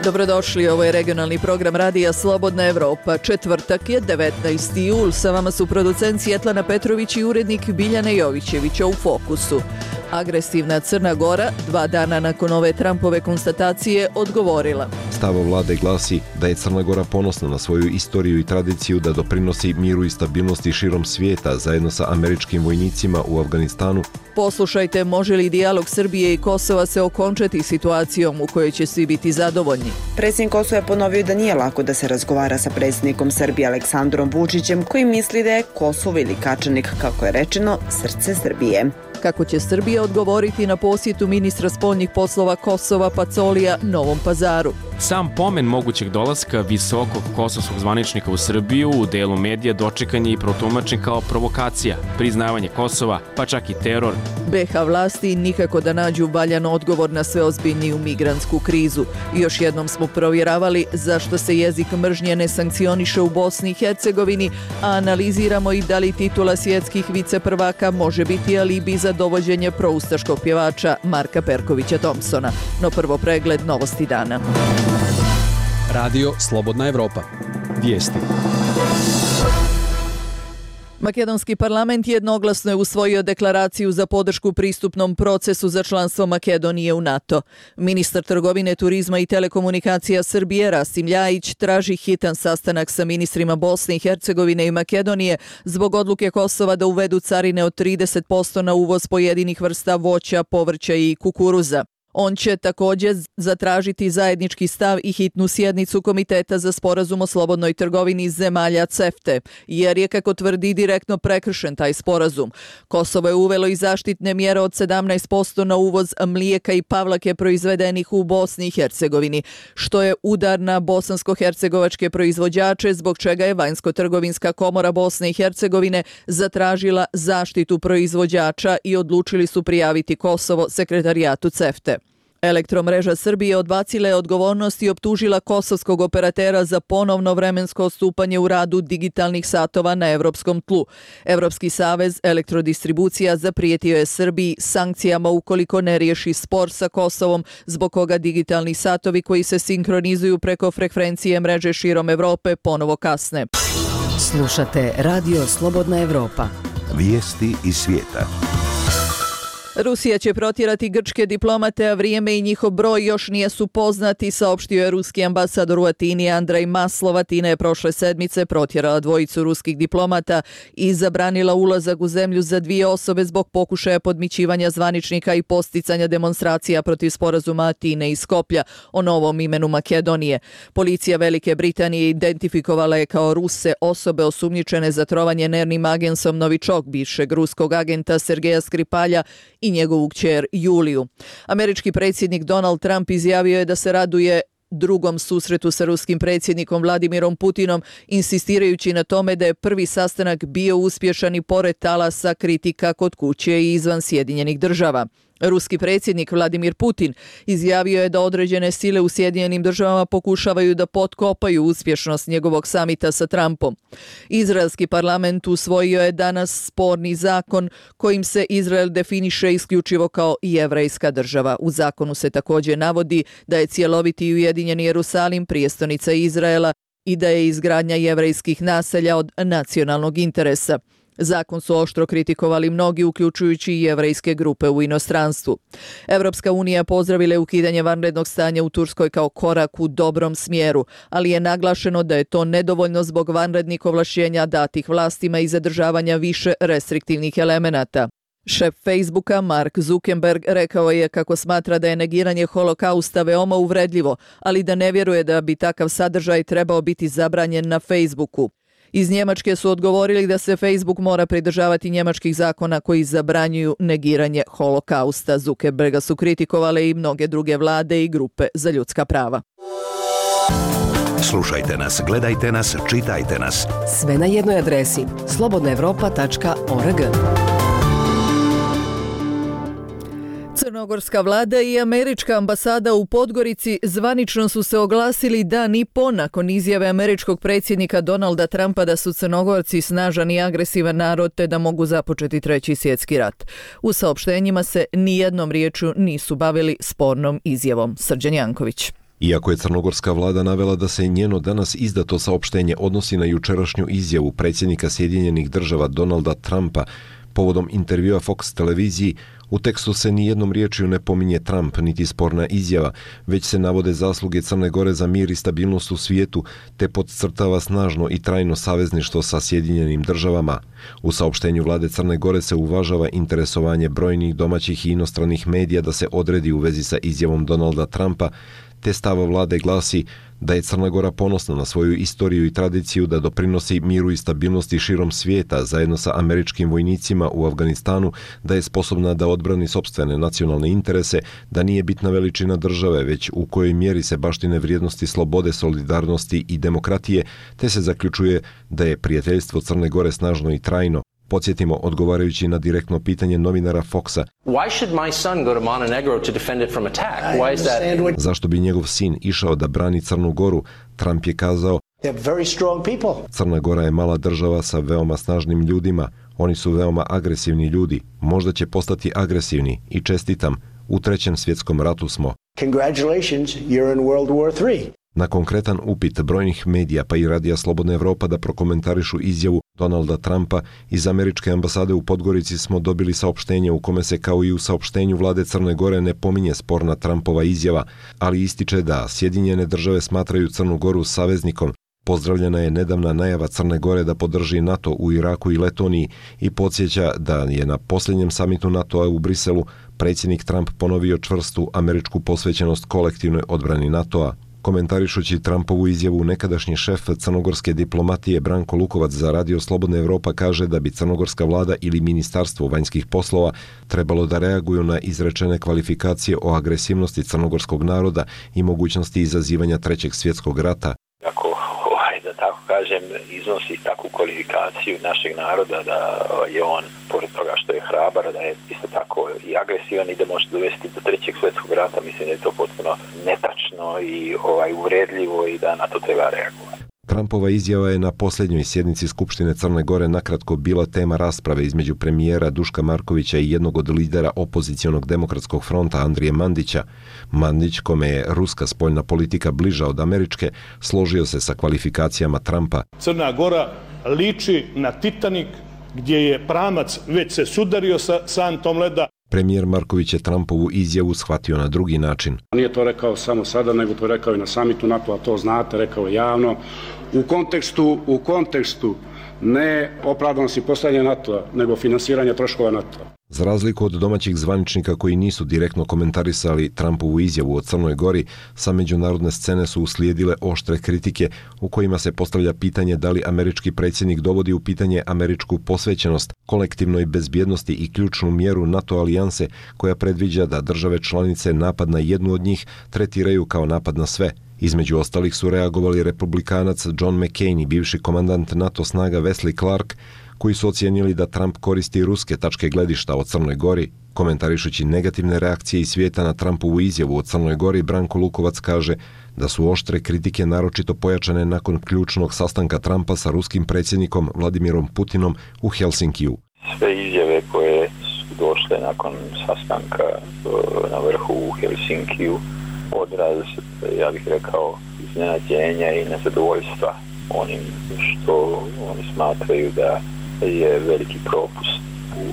Dobrodošli, ovo je regionalni program Radija Slobodna Evropa. Četvrtak je 19. jul, sa vama su producent Svjetlana Petrović i urednik Biljana Jovićevića u Fokusu. Agresivna Crna Gora, 2 dana nakon ove Trumpove konstatacije, odgovorila. Stav vlade glasi da je Crna Gora ponosna na svoju istoriju i tradiciju da doprinosi miru i stabilnosti širom svijeta zajedno sa američkim vojnicima u Afganistanu. Poslušajte, može li dijalog Srbije i Kosova se okončati situacijom u kojoj će svi biti zadovoljni? Predsjednik Kosova je ponovio da nije lako da se razgovara sa predsjednikom Srbije Aleksandrom Vučićem, koji misli da je Kosovo ili Kačanik, kako je rečeno, srce Srbije. Kako će Srbija odgovoriti na posjetu ministra spoljnih poslova Kosova Pacolija Novom Pazaru? Sam pomen mogućeg dolaska visokog kosovskog zvaničnika u Srbiju u delu medija dočekan je i protumačen kao provokacija, priznavanje Kosova, pa čak i teror. BiH vlasti nikako da nađu valjan odgovor na sve ozbiljniju migrantsku krizu. Još jednom smo provjeravali zašto se jezik mržnje ne sankcioniše u Bosni i Hercegovini, a analiziramo i da li titula svjetskih viceprvaka može biti alibi za dovođenje proustaškog pjevača Marka Perkovića Thompsona. No prvo pregled novosti dana. Radio Slobodna Evropa. Vijesti. Makedonski parlament jednoglasno je usvojio deklaraciju za podršku pristupnom procesu za članstvo Makedonije u NATO. Ministar trgovine, turizma i telekomunikacija Srbije Rasim Ljajić traži hitan sastanak sa ministrima Bosne i Hercegovine i Makedonije zbog odluke Kosova da uvedu carine od 30% na uvoz pojedinih vrsta voća, povrća i kukuruza. On će također zatražiti zajednički stav i hitnu sjednicu Komiteta za sporazum o slobodnoj trgovini zemalja CEFTE, jer je, kako tvrdi, direktno prekršen taj sporazum. Kosovo je uvelo i zaštitne mjere od 17% na uvoz mlijeka i pavlake proizvedenih u Bosni i Hercegovini, što je udar na bosansko-hercegovačke proizvođače, zbog čega je Vanjsko-trgovinska komora Bosne i Hercegovine zatražila zaštitu proizvođača i odlučili su prijaviti Kosovo sekretarijatu CEFTE. Elektromreža Srbije odbacila je odgovornost i optužila kosovskog operatera za ponovno vremensko odstupanje u radu digitalnih satova na evropskom tlu. Evropski savez elektrodistribucija zaprijetio je Srbiji sankcijama ukoliko ne riješi spor sa Kosovom, zbog koga digitalni satovi koji se sinkronizuju preko frekvencije mreže širom Evrope ponovo kasne. Slušate Radio Slobodna Evropa. Vijesti iz svijeta. Rusija će protjerati grčke diplomate, a vrijeme i njihov broj još nisu poznati, saopštio je ruski ambasador u Atini Andrej Maslov. Atina je prošle sedmice protjerala 2 ruskih diplomata i zabranila ulazak u zemlju za 2 osobe zbog pokušaja podmićivanja zvaničnika i posticanja demonstracija protiv sporazuma Atine i Skoplja o novom imenu Makedonije. Policija Velike Britanije identifikovala je kao Ruse osobe osumnjičene za trovanje nervnim agensom Novičok, bivšeg ruskog agenta Sergeja Skripalja, i njegovu kćer Juliju. Američki predsjednik Donald Trump izjavio je da se raduje drugom susretu sa ruskim predsjednikom Vladimirom Putinom, insistirajući na tome da je prvi sastanak bio uspješan i pored talasa kritika kod kuće i izvan Sjedinjenih Država. Ruski predsjednik Vladimir Putin izjavio je da određene sile u Sjedinjenim Državama pokušavaju da potkopaju uspješnost njegovog samita sa Trumpom. Izraelski parlament usvojio je danas sporni zakon kojim se Izrael definiše isključivo kao jevrejska država. U zakonu se također navodi da je cjeloviti i ujedinjeni Jerusalim prijestolnica Izraela i da je izgradnja jevrejskih naselja od nacionalnog interesa. Zakon su oštro kritikovali mnogi, uključujući i jevrejske grupe u inostranstvu. Evropska unija pozdravila je ukidanje vanrednog stanja u Turskoj kao korak u dobrom smjeru, ali je naglašeno da je to nedovoljno zbog vanrednih ovlašćenja datih vlastima i zadržavanja više restriktivnih elemenata. Šef Facebooka Mark Zuckerberg rekao je kako smatra da je negiranje holokausta veoma uvredljivo, ali da ne vjeruje da bi takav sadržaj trebao biti zabranjen na Facebooku. Iz Njemačke su odgovorili da se Facebook mora pridržavati njemačkih zakona koji zabranjuju negiranje holokausta. Zuckerberga su kritikovale i mnoge druge vlade i grupe za ljudska prava. Slušajte nas, gledajte nas, čitajte nas. Sve na jednoj adresi slobodnaevropa.org. Crnogorska vlada i američka ambasada u Podgorici zvanično su se oglasili dan i po nakon izjave američkog predsjednika Donalda Trumpa da su Crnogorci snažan i agresivan narod te da mogu započeti 3. svjetski rat. U saopštenjima se nijednom riječju nisu bavili spornom izjavom. Srđan Janković. Iako je crnogorska vlada navela da se njeno danas izdato saopštenje odnosi na jučerašnju izjavu predsjednika Sjedinjenih država Donalda Trumpa povodom intervjua Fox televiziji, u tekstu se ni jednom riječju ne pominje Trump niti sporna izjava, već se navode zasluge Crne Gore za mir i stabilnost u svijetu, te podcrtava snažno i trajno savezništvo sa Sjedinjenim državama. U saopštenju vlade Crne Gore se uvažava interesovanje brojnih domaćih i inostranih medija da se odredi u vezi sa izjavom Donalda Trumpa, te stav vlade glasi da je Crna Gora ponosna na svoju istoriju i tradiciju da doprinosi miru i stabilnosti širom svijeta zajedno sa američkim vojnicima u Afganistanu, da je sposobna da odbrani sopstvene nacionalne interese, da nije bitna veličina države, već u kojoj mjeri se baštine vrijednosti slobode, solidarnosti i demokratije, te se zaključuje da je prijateljstvo Crne Gore snažno i trajno. Podsjetimo, odgovarajući na direktno pitanje novinara Foxa, zašto bi njegov sin išao da brani Crnu Goru, Trump je kazao, Crna Gora je mala država sa veoma snažnim ljudima, oni su veoma agresivni ljudi, možda će postati agresivni i čestitam, u 3. svjetskom ratu smo. Na konkretan upit brojnih medija pa i Radija Slobodna Evropa da prokomentarišu izjavu Donalda Trumpa, iz američke ambasade u Podgorici smo dobili saopštenje u kome se kao i u saopštenju vlade Crne Gore ne pominje sporna Trumpova izjava, ali ističe da Sjedinjene države smatraju Crnu Goru saveznikom. Pozdravljena je nedavna najava Crne Gore da podrži NATO u Iraku i Letoniji i podsjeća da je na posljednjem samitu NATO-a u Briselu predsjednik Trump ponovio čvrstu američku posvećenost kolektivnoj odbrani NATO-a. Komentarišući Trumpovu izjavu, nekadašnji šef crnogorske diplomatije Branko Lukovac za Radio Slobodna Evropa kaže da bi crnogorska vlada ili Ministarstvo vanjskih poslova trebalo da reaguju na izrečene kvalifikacije o agresivnosti crnogorskog naroda i mogućnosti izazivanja 3. svjetskog rata. Ako, da tako kažem, iznosi takvu kvalifikaciju našeg naroda da je on, pored toga što je hrabar, da je isto tako i agresivan i da može dovesti do 3. svjetskog rata, mislim da je to potpuno netačno i uvredljivo i da na to treba reagovati. Trumpova izjava je na posljednjoj sjednici Skupštine Crne Gore nakratko bila tema rasprave između premijera Duška Markovića i jednog od lidera opozicionog demokratskog fronta Andrije Mandića. Mandić, kome je ruska spoljna politika bliža od američke, složio se sa kvalifikacijama Trumpa. Crna Gora liči na Titanik gdje je pramac već se sudario sa santom leda. Premijer Marković je Trumpovu izjavu shvatio na drugi način. Nije to rekao samo sada, nego to rekao i na samitu NATO-a, to znate, rekao je javno. U kontekstu ne opravdanosti postojanja NATO-a, nego finansiranja troškova NATO-a. Za razliku od domaćih zvaničnika koji nisu direktno komentarisali Trumpovu izjavu o Crnoj Gori, sa međunarodne scene su uslijedile oštre kritike u kojima se postavlja pitanje da li američki predsjednik dovodi u pitanje američku posvećenost kolektivnoj bezbjednosti i ključnu mjeru NATO alijanse koja predviđa da države članice napad na jednu od njih tretiraju kao napad na sve. Između ostalih su reagovali republikanac John McCain i bivši komandant NATO snaga Wesley Clark, koji su ocijenili da Trump koristi ruske tačke gledišta o Crnoj Gori. Komentarišući negativne reakcije iz svijeta na Trumpovu izjavu o Crnoj Gori, Branko Lukovac kaže da su oštre kritike naročito pojačane nakon ključnog sastanka Trumpa sa ruskim predsjednikom Vladimirom Putinom u Helsinkiju. Sve izjave koje su došle nakon sastanka na vrhu u Helsinkiju odraz, ja bih rekao, iznenađenja i nezadovoljstva onim što oni smatraju da je veliki propust u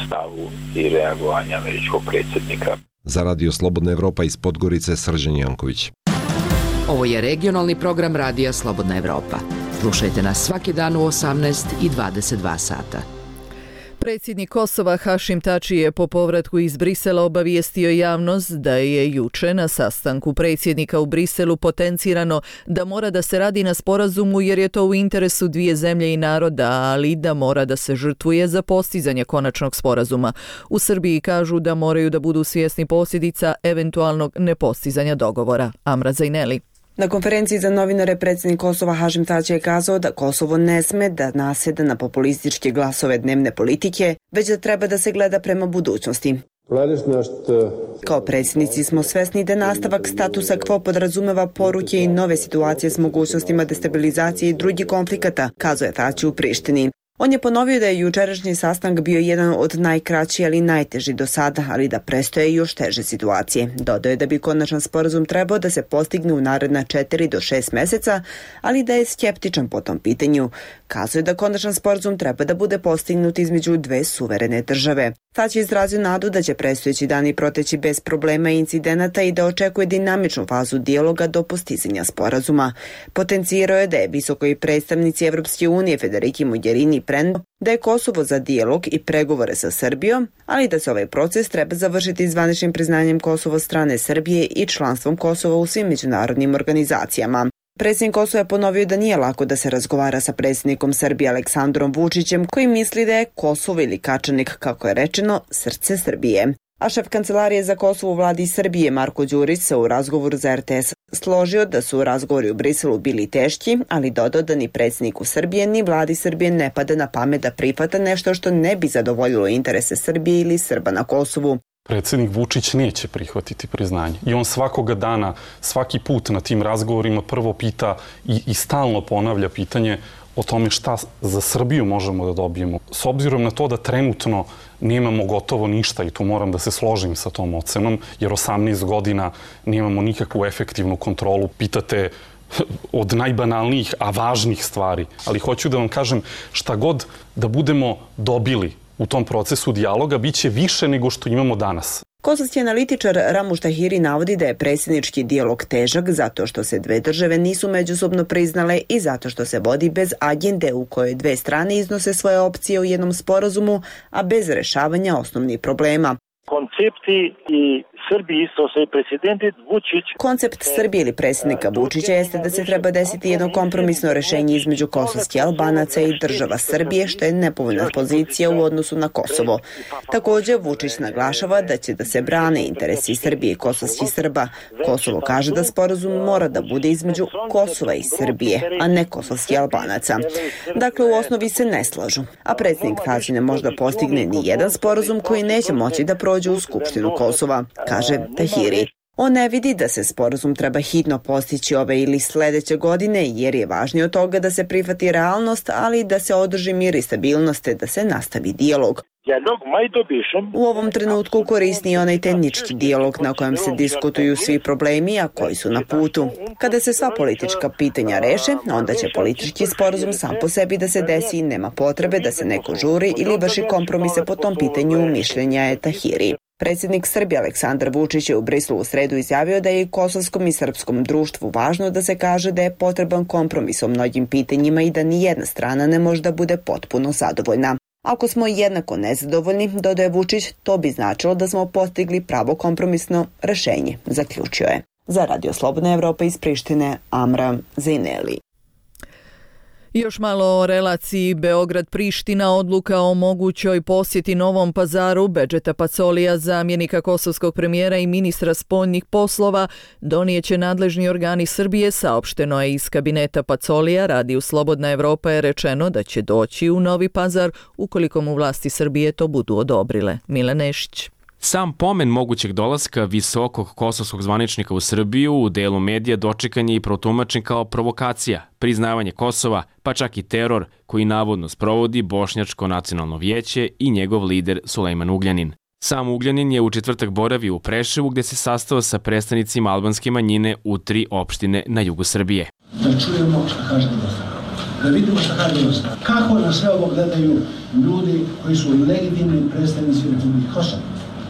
stavu i reagovanja američkog predsjednika. Za Radio Slobodna Evropa iz Podgorice, Srđan Janković. Ovo je regionalni program Radija Slobodna Evropa. Slušajte nas svaki dan u 18 i 22 sata. Predsjednik Kosova Hašim Tači je po povratku iz Brisela obavijestio javnost da je juče na sastanku predsjednika u Briselu potencirano da mora da se radi na sporazumu jer je to u interesu dvije zemlje i naroda, ali da mora da se žrtvuje za postizanje konačnog sporazuma. U Srbiji kažu da moraju da budu svjesni posljedica eventualnog nepostizanja dogovora. Amra Zajneli. Na konferenciji za novinare predsjednik Kosova Hašim Tači je kazao da Kosovo ne sme da nasjeda na populističke glasove dnevne politike, već da treba da se gleda prema budućnosti. Kao predsjednici smo svesni da nastavak statusa quo podrazumeva poruke i nove situacije s mogućnostima destabilizacije i drugih konflikata, kazao je Tači u Prištini. On je ponovio da je jučerašnji sastanak bio jedan od najkraći, ali najteži do sada, ali da prestoje još teže situacije. Dodao je da bi konačan sporazum trebao da se postigne u naredna 4 do 6 meseca, ali da je skeptičan po tom pitanju. Kazuje da konačan sporazum treba da bude postignut između dve suverene države. Tać je izrazio nadu da će predstojeći dani proteći bez problema i incidenata i da očekuje dinamičnu fazu dijaloga do postizanja sporazuma. Potencirao je da je visokoj predstavnici Evropske unije Federiki Mogherini da je Kosovo za dijalog i pregovore sa Srbijom, ali da se ovaj proces treba završiti zvaničnim priznanjem Kosova strane Srbije i članstvom Kosova u svim međunarodnim organizacijama. Predsjednik Kosova je ponovio da nije lako da se razgovara sa predsjednikom Srbije Aleksandrom Vučićem, koji misli da je Kosovo ili Kačanik, kako je rečeno, srce Srbije. A šef kancelarije za Kosovo u vladi Srbije Marko Đurić se u razgovoru za RTS složio da su razgovori u Briselu bili teški, ali dodao da ni predsjedniku Srbije ni vladi Srbije ne pada na pamet da prihvata nešto što ne bi zadovoljilo interese Srbije ili Srba na Kosovu. Predsjednik Vučić neće prihvatiti priznanje. I on svakoga dana, svaki put na tim razgovorima prvo pita i stalno ponavlja pitanje o tome šta za Srbiju možemo da dobijemo. S obzirom na to da trenutno nemamo gotovo ništa i tu moram da se složim sa tom ocenom, jer 18 godina nemamo nikakvu efektivnu kontrolu. Pitate od najbanalnijih, a važnih stvari. Ali hoću da vam kažem, šta god da budemo dobili u tom procesu dijaloga, bit će više nego što imamo danas. Kosovski analitičar Ramuš Tahiri navodi da je predsjednički dijalog težak zato što se dve države nisu međusobno priznale i zato što se vodi bez agende u kojoj dve strane iznose svoje opcije u jednom sporazumu, a bez rešavanja osnovnih problema. Koncepti i Srbiji isto se predsjedent Vučić. Koncept Srbije ili predsjednika Vučića jeste da se treba desiti jedno kompromisno rešenje između kosovskih Albanaca i država Srbije, što je nepovoljna pozicija u odnosu na Kosovo. Također, Vučić naglašava da će da se brane interesi Srbije i kosovskih Srba. Kosovo kaže da sporazum mora da bude između Kosova i Srbije, a ne kosovskih Albanaca. Dakle, u osnovi se ne slažu. A predsjednik Tadić ne može da postigne ni jedan sporazum koji neće moći da prođe u Skupštinu Kosova, kaže Tahiri. On ne vidi da se sporazum treba hitno postići ove ili sledeće godine, jer je važnije od toga da se prihvati realnost, ali da se održi mir i stabilnost te da se nastavi dijalog. U ovom trenutku korisni je onaj tehnički dijalog na kojem se diskutuju svi problemi, a koji su na putu. Kada se sva politička pitanja reše, onda će politički sporazum sam po sebi da se desi i nema potrebe da se neko žuri ili vrši kompromise po tom pitanju, mišljenja je Tahiri. Predsjednik Srbije Aleksandar Vučić je u Briselu u sredu izjavio da je i kosovskom i srpskom društvu važno da se kaže da je potreban kompromis o mnogim pitanjima i da ni jedna strana ne može da bude potpuno zadovoljna. Ako smo jednako nezadovoljni, dodaje Vučić, to bi značilo da smo postigli pravo kompromisno rešenje, zaključio je. Za Radio Slobodna Evropa iz Prištine, Amra Zejneli. Još malo o relaciji Beograd-Priština. Odluka o mogućoj posjeti Novom Pazaru Bedžeta Pacolija, zamjenika kosovskog premijera i ministra spoljnih poslova, donijeće nadležni organi Srbije, saopšteno je iz kabineta Pacolija. Radiju Slobodna Evropa je rečeno da će doći u Novi Pazar ukoliko mu vlasti Srbije to budu odobrile. Mile Nešić. Sam pomen mogućeg dolaska visokog kosovskog zvaničnika u Srbiju u delu medija dočekan je i protumačen kao provokacija, priznavanje Kosova, pa čak i teror koji navodno sprovodi Bošnjačko nacionalno vijeće i njegov lider Sulejman Ugljanin. Sam Ugljanin je u četvrtak boravio u Preševu gde se sastao sa predstavnicima albanske manjine u 3 opštine na jugu Srbije. Da čujemo šta kaže Dostava, da vidimo šta kaže Dostava. Kako na sve ovo gledaju ljudi koji su legitimni predstavnici Republike Kosova?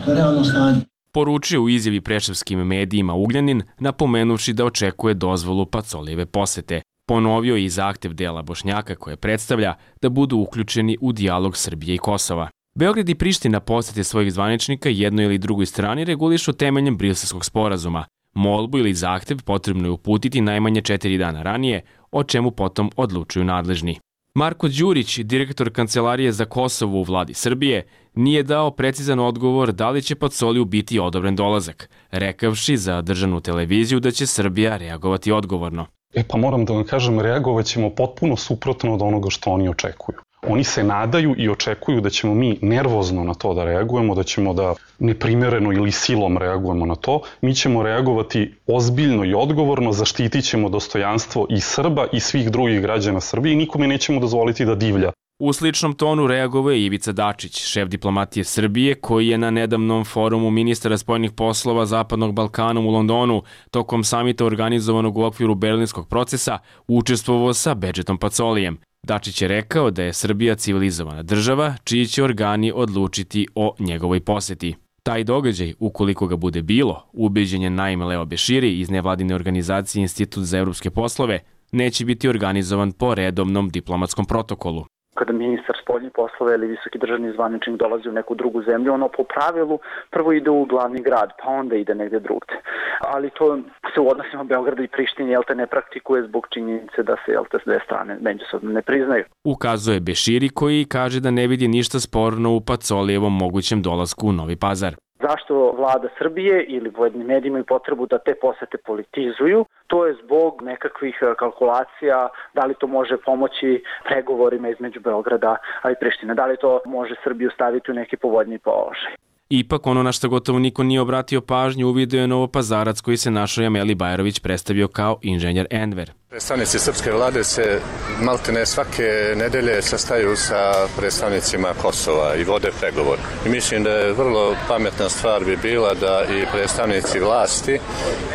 To je realno stanje. Poručio u izjavi preševskim medijima Ugljanin, napomenuši da očekuje dozvolu Pacolijeve posete. Ponovio je i zahtev dela Bošnjaka koje predstavlja da budu uključeni u dijalog Srbije i Kosova. Beograd i Priština posete svojih zvaničnika jednoj ili drugoj strani regulišu temeljem Briselskog sporazuma. Molbu ili zahtev potrebno je uputiti najmanje 4 dana ranije, o čemu potom odlučuju nadležni. Marko Đurić, direktor Kancelarije za Kosovo u vladi Srbije, nije dao precizan odgovor da li će Pacoliju biti odobren dolazak, rekavši za državnu televiziju da će Srbija reagovati odgovorno. Pa moram da vam kažem, reagovat ćemo potpuno suprotno od onoga što oni očekuju. Oni se nadaju i očekuju da ćemo mi nervozno na to da reagujemo, da ćemo da neprimereno ili silom reagujemo na to. Mi ćemo reagovati ozbiljno i odgovorno, zaštitit ćemo dostojanstvo i Srba i svih drugih građana Srbije i nikome nećemo dozvoliti da divlja U sličnom tonu reagovao je Ivica Dačić, šef diplomatije Srbije, koji je na nedavnom forumu ministara spoljnih poslova Zapadnog Balkana u Londonu tokom samita organizovanog u okviru berlinskog procesa učestvovao sa Bedžetom Pacolijem. Dačić je rekao da je Srbija civilizovana država, čiji će organi odlučiti o njegovoj poseti. Taj događaj, ukoliko ga bude bilo, ubeđen je Naim Leo Beširi iz nevladine organizacije Institut za evropske poslove, neće biti organizovan po redovnom diplomatskom protokolu. Kada ministar spoljnih poslova ili visoki državni zvaničnik dolazi u neku drugu zemlju, ono po pravilu prvo ide u glavni grad, pa onda ide negde drugde. Ali to se u odnosima Beograda i Prištine ne praktikuje zbog činjenice da se s dve strane međusobno ne priznaju. Ukazuje Beširi, koji kaže da ne vidi ništa sporno u Pacolijevom mogućem dolasku u Novi Pazar. Zašto vlada Srbije ili pojedini mediji imaju potrebu da te posete politizuju? To je zbog nekakvih kalkulacija, da li to može pomoći pregovorima između Beograda i Prištine, da li to može Srbiju staviti u neki povoljniji položaj. Ipak, ono na što gotovo niko nije obratio pažnju u video je Novopazarac koji se našoj Ameli Bajrović predstavio kao inženjer Enver. Predstavnici srpske vlade se maltene svake nedelje sastaju sa predstavnicima Kosova i vode pregovor. I mislim da je vrlo pametna stvar bi bila da i predstavnici vlasti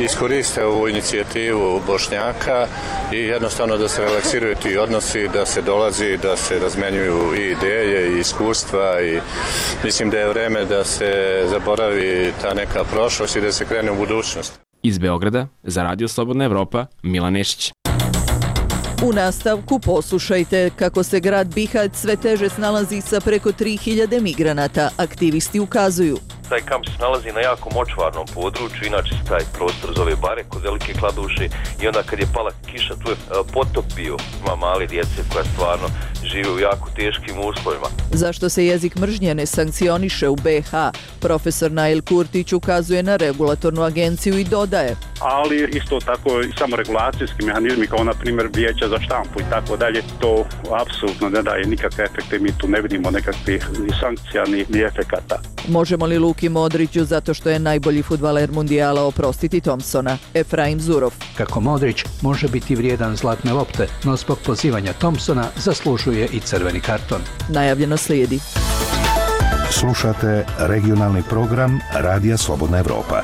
iskoriste ovu inicijativu Bošnjaka i jednostavno da se relaksiraju ti odnosi, da se dolazi, da se razmenjuju i ideje i iskustva i mislim da je vreme da se zaboravi ta neka prošlost i da se krene u budućnost. Iz Beograda, za Radio Slobodna Evropa, Milan Nešić. U nastavku poslušajte kako se grad Bihać sve teže snalazi sa preko 3000 migranata. Aktivisti ukazuju. Taj kamp se nalazi na jako močvarnom području, inače se taj prostor zove Bare kod Velike Kladuše i onda kad je pala kiša tu je potop bio. Ima mali djece koja stvarno žive u jako teškim uslovima. Zašto se jezik mržnje ne sankcioniše u BiH? Profesor Nail Kurtić ukazuje na regulatornu agenciju i dodaje. Ali isto tako i samoregulacijski mehanizmi kao na primjer vijeća za štampu i tako dalje, to apsolutno ne daje nikakve efekte, mi tu ne vidimo nekakvih ni sankcija ni efekata. Možemo li Luki Modriću zato što je najbolji fudbaler mundijala oprostiti Thompsona? Efraim Zurov. Kako Modrić može biti vrijedan zlatne lopte, no zbog pozivanja Thompsona zaslužuje i crveni karton. Najavljeno slijedi. Slušate regionalni program Radija Slobodna Evropa.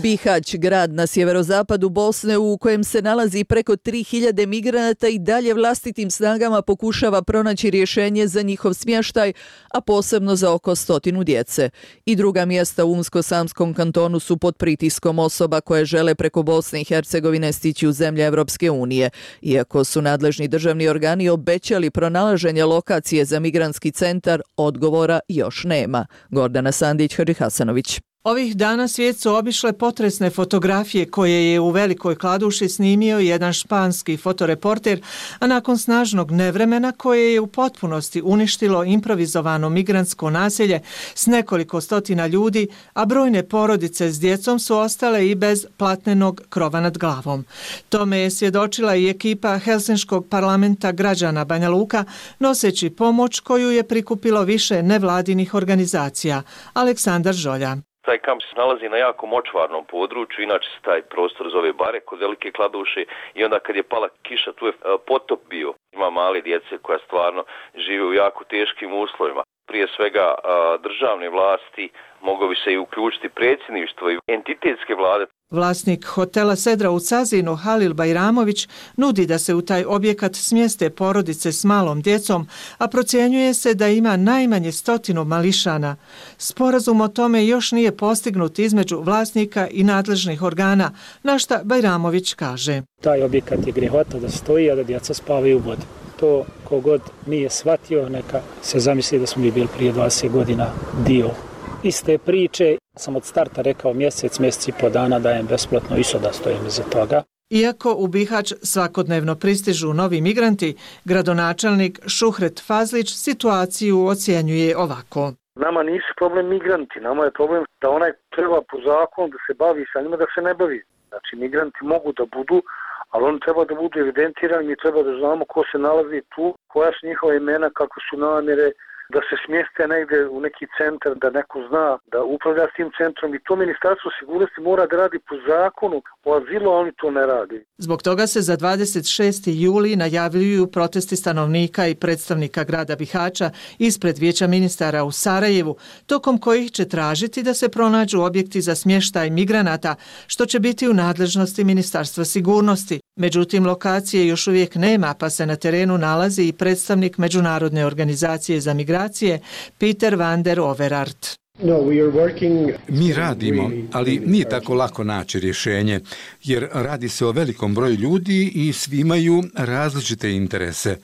Bihać, grad na sjeverozapadu Bosne u kojem se nalazi preko 3000 migranata i dalje vlastitim snagama pokušava pronaći rješenje za njihov smještaj, a posebno za oko 100 djece. I druga mjesta u Unsko-Samskom kantonu su pod pritiskom osoba koje žele preko Bosne i Hercegovine stići u zemlje Evropske unije. Iako su nadležni državni organi obećali pronalaženje lokacije za migrantski centar, odgovora još nema. Gordana Sandić, Hadži Hasanović. Ovih dana svijet su obišle potresne fotografije koje je u Velikoj Kladuši snimio jedan španski fotoreporter, a nakon snažnog nevremena koje je u potpunosti uništilo improvizovano migrantsko naselje s nekoliko stotina ljudi, a brojne porodice s djecom su ostale i bez platnenog krova nad glavom. Tome je svjedočila i ekipa Helsinškog parlamenta građana Banja Luka, noseći pomoć koju je prikupilo više nevladinih organizacija. Aleksandar Žolja. Taj kamp se nalazi na jako močvarnom području, inače se taj prostor zove Bare kod Velike Kladuše i onda kad je pala kiša tu je potop bio. Ima mali djece koja stvarno žive u jako teškim uslovima. Prije svega državne vlasti, moglo bi se i uključiti predsjedništvo i entitetske vlade. Vlasnik hotela Sedra u Cazinu, Halil Bajramović, nudi da se u taj objekat smjeste porodice s malom djecom, a procjenjuje se da ima najmanje 100 mališana. Sporazum o tome još nije postignut između vlasnika i nadležnih organa, na šta Bajramović kaže. Taj objekat je grehota da stoji, a da djeca spavaju u vodi. To kogod nije shvatio, neka se zamisli da smo mi bili prije 20 godina dio iste priče. Sam od starta rekao mjesec i po dana dajem besplatno i sada stojim iza toga. Iako u Bihać svakodnevno pristižu novi migranti, gradonačelnik Šuhret Fazlić situaciju ocjenjuje ovako. Nama nisu problem migranti, nama je problem da onaj treba po zakonu da se bavi sa njima, da se ne bavi. Znači migranti mogu da budu, ali oni treba da budu evidentirani, mi treba da znamo ko se nalazi tu, koja su njihova imena, kako su namjere, da se smjeste negdje u neki centar, da neko zna da upravlja s tim centrom i to Ministarstvo sigurnosti mora da radi po zakonu o azilu, a oni to ne radi. Zbog toga se za 26. juli najavljuju protesti stanovnika i predstavnika grada Bihaća ispred Vijeća ministara u Sarajevu, tokom kojih će tražiti da se pronađu objekti za smještaj migranata, što će biti u nadležnosti Ministarstva sigurnosti. Međutim, lokacije još uvijek nema, pa se na terenu nalazi i predstavnik Međunarodne organizacije za migracije Peter van der Overaert. Mi radimo, ali nije tako lako naći rješenje, jer radi se o velikom broju ljudi i svi imaju različite interese.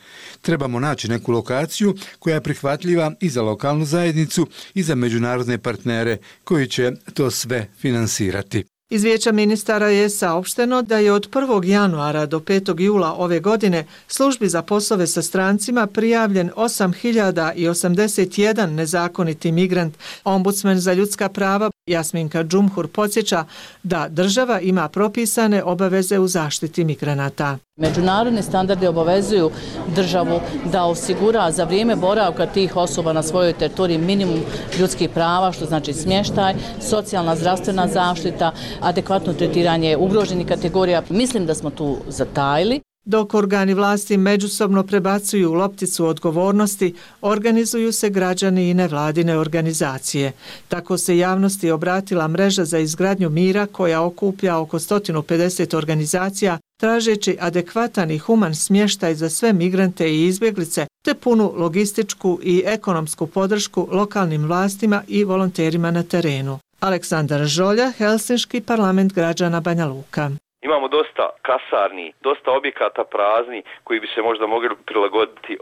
Trebamo naći neku lokaciju koja je prihvatljiva i za lokalnu zajednicu i za međunarodne partnere koji će to sve finansirati. Iz Vijeća ministara je saopšteno da je od 1. januara do 5. jula ove godine službi za poslove sa strancima prijavljen 8081 nezakoniti migrant. Ombudsman za ljudska prava Jasminka Džumhur podsjeća da država ima propisane obaveze u zaštiti migranata. Međunarodni standardi obavezuju državu da osigura za vrijeme boravka tih osoba na svojoj teritoriji minimum ljudskih prava, što znači smještaj, socijalna zdravstvena zaštita, adekvatno tretiranje ugroženih kategorija. Mislim da smo tu zatajili. Dok organi vlasti međusobno prebacuju lopticu odgovornosti, organizuju se građani i nevladine organizacije. Tako se javnosti obratila mreža za izgradnju mira koja okuplja oko 150 organizacija, tražeći adekvatan i human smještaj za sve migrante i izbjeglice, te punu logističku i ekonomsku podršku lokalnim vlastima i volonterima na terenu. Aleksandar Žolja, Helsinški parlament građana Banja Luka. Imamo dosta kasarni, dosta objekata prazni koji bi se možda mogli prilagoditi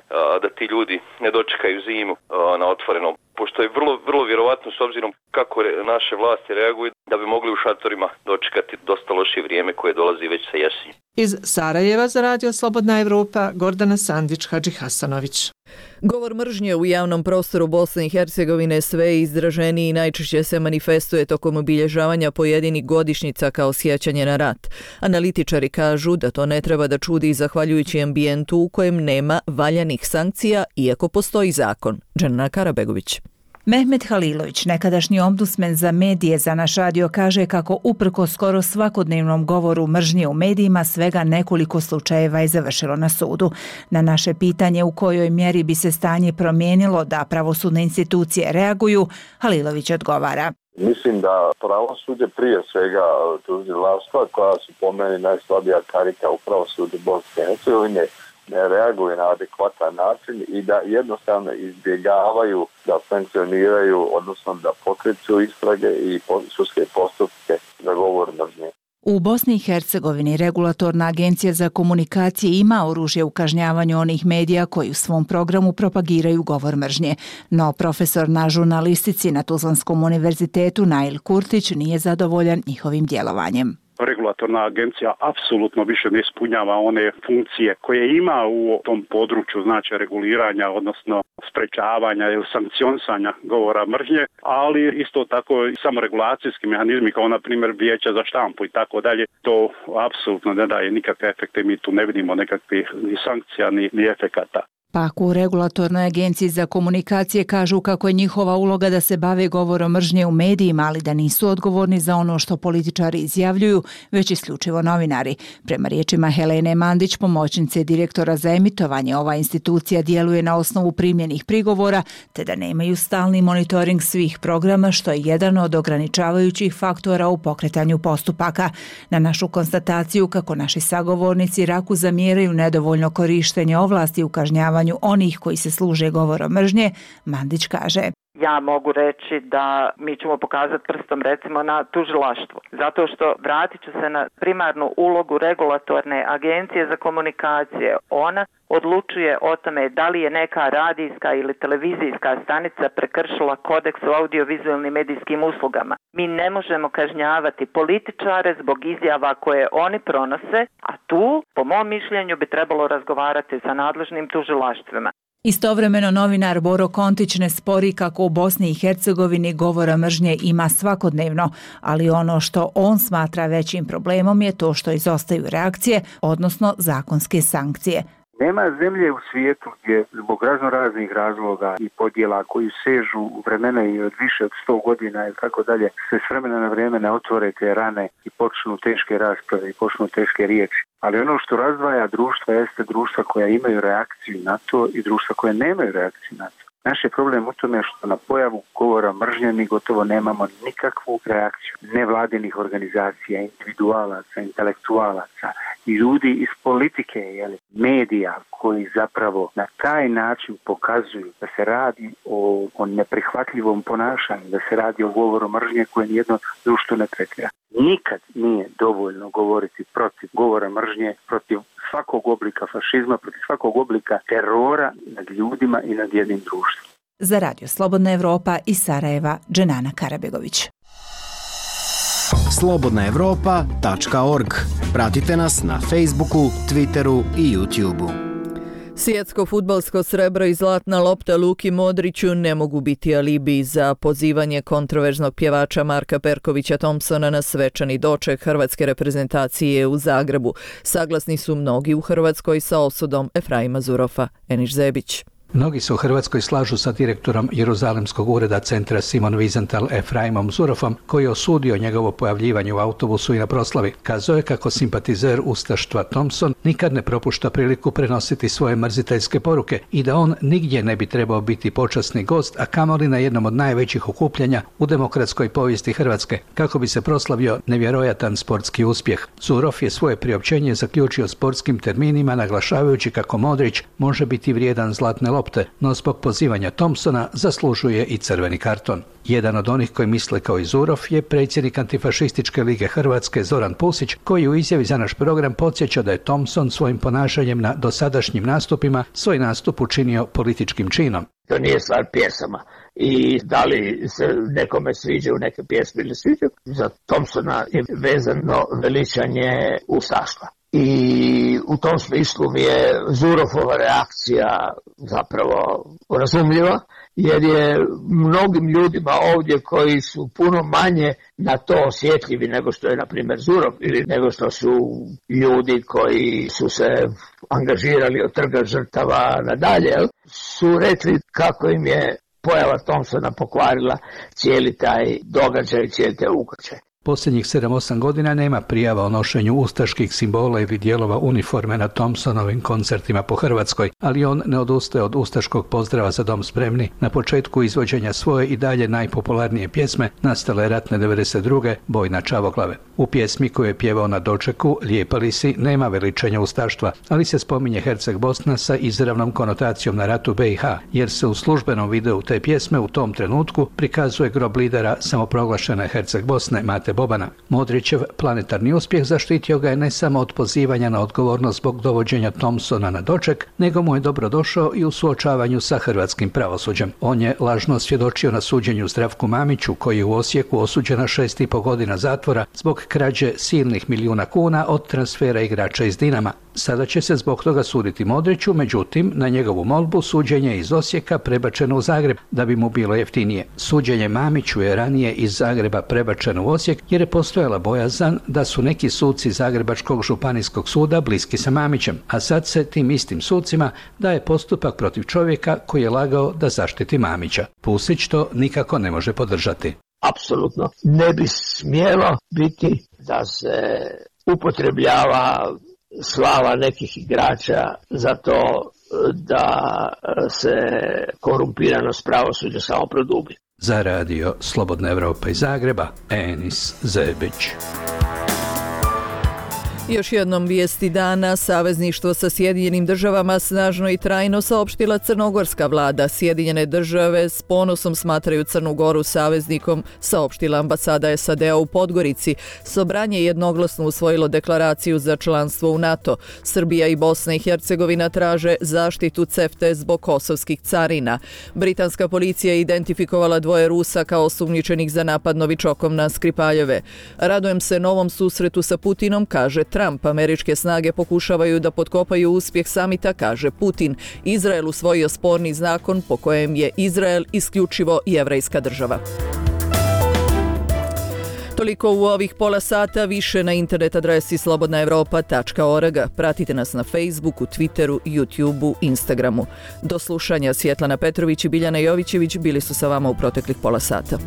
da ti ljudi ne dočekaju zimu na otvorenom. Pošto je vrlo vjerovatno s obzirom kako naše vlasti reaguju da bi mogli u šatorima dočekati dosta loše vrijeme koje dolazi već sa jeseni. Iz Sarajeva za Radio Slobodna Evropa, Gordana Sandić, Hadži Hasanović. Govor mržnje u javnom prostoru Bosne i Hercegovine sve izraženiji i najčešće se manifestuje tokom obilježavanja pojedinih godišnjica kao sjećanje na rat. Analitičari kažu da to ne treba da čudi zahvaljujući ambijentu u kojem nema valjanih sankcija, iako postoji zakon. Džana Karabegović. Mehmet Halilović, nekadašnji ombudsman za medije, za naš radio kaže kako uprkos skoro svakodnevnom govoru mržnje u medijima svega nekoliko slučajeva je završilo na sudu. Na naše pitanje u kojoj mjeri bi se stanje promijenilo da pravosudne institucije reaguju, Halilović odgovara. Mislim da pravosuđe prije svega tužilaštva, koja su po meni najslabija karika u pravosuđu Bosne i Hercegovine, ne reaguju na adekvatan način i da jednostavno izbjegavaju da sankcioniraju, odnosno da pokreću istrage i sudske postupke za govor mržnje. U Bosni i Hercegovini Regulatorna agencija za komunikacije ima oružje u kažnjavanju onih medija koji u svom programu propagiraju govor mržnje. No profesor na žurnalistici na Tuzlanskom univerzitetu Nail Kurtić nije zadovoljan njihovim djelovanjem. Regulatorna agencija apsolutno više ne ispunjava one funkcije koje ima u tom području, znači reguliranja, odnosno sprečavanja ili sankcionisanja govora mržnje, ali isto tako i samoregulacijski mehanizmi kao na primjer vijeća za štampu i tako dalje, to apsolutno ne daje nikakve efekte, mi tu ne vidimo nekakvih ni sankcija ni efekata. Pak u Regulatornoj agenciji za komunikacije kažu kako je njihova uloga da se bave govorom mržnje u medijima, ali da nisu odgovorni za ono što političari izjavljuju, već isključivo novinari. Prema riječima Helene Mandić, pomoćnice direktora za emitovanje, ova institucija djeluje na osnovu primljenih prigovora, te da nemaju stalni monitoring svih programa, što je jedan od ograničavajućih faktora u pokretanju postupaka. Na našu konstataciju kako naši sagovornici Raku zamjeraju nedovoljno korištenje ovlasti u kažnjavanju onih koji se služe govorom mržnje, Mandić kaže. Ja mogu reći da mi ćemo pokazati prstom recimo na tužilaštvo. Zato što vratit ću se na primarnu ulogu Regulatorne agencije za komunikacije. Ona odlučuje o tome da li je neka radijska ili televizijska stanica prekršila kodeks o audiovizualnim medijskim uslugama. Mi ne možemo kažnjavati političare zbog izjava koje oni pronose, a tu, po mom mišljenju, bi trebalo razgovarati sa nadležnim tužilaštvima. Istovremeno novinar Boro Kontić ne spori kako u Bosni i Hercegovini govora mržnje ima svakodnevno, ali ono što on smatra većim problemom je to što izostaju reakcije, odnosno zakonske sankcije. Nema zemlje u svijetu gdje zbog raznih razloga i podjela koji sežu u vremena i od više od 100 godina i tako dalje, se s vremena na vrijeme ne otvore te rane i počnu teške rasprave i počnu teške riječi. Ali ono što razdvaja društva jeste društva koja imaju reakciju na to i društva koje nemaju reakciju na to. Naš je problem u tome što na pojavu govora mržnje mi gotovo nemamo nikakvu reakciju nevladinih organizacija, individualaca, intelektualaca i ljudi iz politike, medija koji zapravo na taj način pokazuju da se radi o neprihvatljivom ponašanju, da se radi o govoru mržnje koje nijedno društvo ne tretira. Nikad nije dovoljno govoriti protiv govora mržnje, protiv svakog oblika fašizma, protiv svakog oblika terora nad ljudima i nad jednim društvom. Za Radio Slobodna Evropa iz Sarajeva, Dženana Karabegović. slobodnaevropa.org. Pratite nas na Facebooku, Twitteru i YouTubeu. Svjetsko fudbalsko srebro i zlatna lopta Luki Modriću ne mogu biti alibi za pozivanje kontroverznog pjevača Marka Perkovića Thompsona na svečani doček hrvatske reprezentacije u Zagrebu. Saglasni su mnogi u Hrvatskoj sa osudom Efraima Zurofa. Eniš Zebić. Mnogi se u Hrvatskoj slažu sa direktorom Jeruzalemskog ureda centra Simon Wiesenthal Efraimom Zurofom, koji je osudio njegovo pojavljivanje u autobusu i na proslavi. Kazao je kako simpatizer ustaštva Thompson nikad ne propušta priliku prenositi svoje mrziteljske poruke i da on nigdje ne bi trebao biti počasni gost, a kamoli na jednom od najvećih okupljanja u demokratskoj povijesti Hrvatske, kako bi se proslavio nevjerojatan sportski uspjeh. Zurov je svoje priopćenje zaključio sportskim terminima, naglašavajući kako Modrić može biti vrijedan zlatne lopte, no zbog pozivanja Thompsona zaslužuje i crveni karton. Jedan od onih koji misle kao i Zurov je predsjednik Antifašističke lige Hrvatske Zoran Pusić, koji u izjavi za naš program podsjeća da je Thompson svojim ponašanjem na dosadašnjim nastupima svoj nastup učinio političkim činom. To nije stvar pjesama. I da li se nekome sviđaju neke pjesme ili sviđaju, za Thompsona je vezano veličanje ustaštva. I u tom smislu mi je Zurofova reakcija zapravo razumljiva, jer je mnogim ljudima ovdje koji su puno manje na to osjetljivi nego što je, na primjer, Zurov ili nego što su ljudi koji su se angažirali od trga žrtava nadalje, su rekli kako im je pojava Thompsona pokvarila cijeli taj događaj, cijeli taj ukršaj. Posljednjih 7-8 godina nema prijava o nošenju ustaških simbola ili dijelova uniforme na Thompsonovim koncertima po Hrvatskoj, ali on ne odustaje od ustaškog pozdrava Za dom spremni na početku izvođenja svoje i dalje najpopularnije pjesme, nastale ratne 92. Boj na Čavoglave. U pjesmi koju je pjevao na dočeku Lijepa li si nema veličanja ustaštva, ali se spominje Herceg Bosna sa izravnom konotacijom na ratu BiH, jer se u službenom videu te pjesme u tom trenutku prikazuje grob lidera samoproglašene Herceg Bosne Mate Bobana. Modrićev planetarni uspjeh zaštitio ga je ne samo od pozivanja na odgovornost zbog dovođenja Thompsona na doček, nego mu je dobro došao i u suočavanju sa hrvatskim pravosuđem. On je lažno svjedočio na suđenju Zdravku Mamiću, koji je u Osijeku osuđen na 6,5 godina zatvora zbog krađe silnih milijuna kuna od transfera igrača iz Dinama. Sada će se zbog toga suditi Modriću, međutim, na njegovu molbu suđenje iz Osijeka prebačeno u Zagreb da bi mu bilo jeftinije. Suđenje Mamiću je ranije iz Zagreba prebačeno u Osijek jer je postojala bojazan da su neki suci Zagrebačkog županijskog suda bliski sa Mamićem, a sad se tim istim sucima daje postupak protiv čovjeka koji je lagao da zaštiti Mamića. Pusić to nikako ne može podržati. Apsolutno ne bi smjelo biti da se upotrebljava slava nekih igrača za to da se korumpiranost pravosuđa samo produbi. Za Radio Slobodna Evropa iz Zagreba, Enis Zebić. Još jednom vijesti dana, savezništvo sa Sjedinjenim državama snažno i trajno saopštila crnogorska vlada. Sjedinjene države s ponosom smatraju Crnu Goru saveznikom, saopštila ambasada SAD-a u Podgorici. Sobranje je jednoglasno usvojilo deklaraciju za članstvo u NATO. Srbija i Bosna i Hercegovina traže zaštitu CEFTA zbog kosovskih carina. Britanska policija je identifikovala 2 Rusa kao osumnjičenih za napad novičokom na Skripaljeve. Radujem se novom susretu sa Putinom, kaže Trump. Američke snage pokušavaju da potkopaju uspjeh samita, kaže Putin. Izrael usvojio sporni zakon po kojem je Izrael isključivo jevrejska država. Toliko u ovih pola sata, više na internet adresi slobodnaevropa.org. Pratite nas na Facebooku, Twitteru, YouTubeu, Instagramu. Do slušanja, Svjetlana Petrović i Biljana Jovićević bili su sa vama u proteklih pola sata.